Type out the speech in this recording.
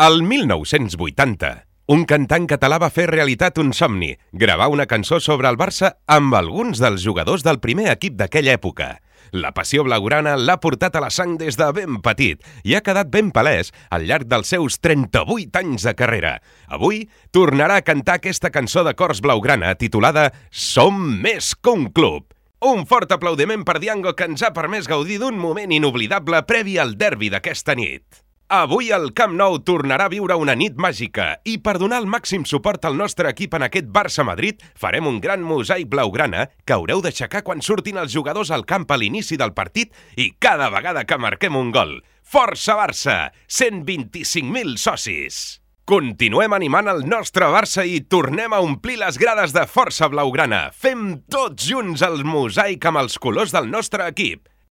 El 1980, un cantant català va fer realitat un somni, gravar una cançó sobre el Barça amb alguns dels jugadors del primer equip d'aquella època. La passió blaugrana l'ha portat a la sang des de ben petit i ha quedat ben palès al llarg dels seus 38 anys de carrera. Avui tornarà a cantar aquesta cançó de cors blaugrana titulada Som més que un club. Un fort aplaudiment per Diango, que ens ha permès gaudir d'un moment inoblidable previ al derbi d'aquesta nit. Avui el Camp Nou tornarà a viure una nit màgica i per donar el màxim suport al nostre equip en aquest Barça-Madrid farem un gran mosaic blaugrana que haureu d'aixecar quan surtin els jugadors al camp a l'inici del partit i cada vegada que marquem un gol. Força Barça! 125.000 socis! Continuem animant el nostre Barça i tornem a omplir les grades de força blaugrana. Fem tots junts el mosaic amb els colors del nostre equip.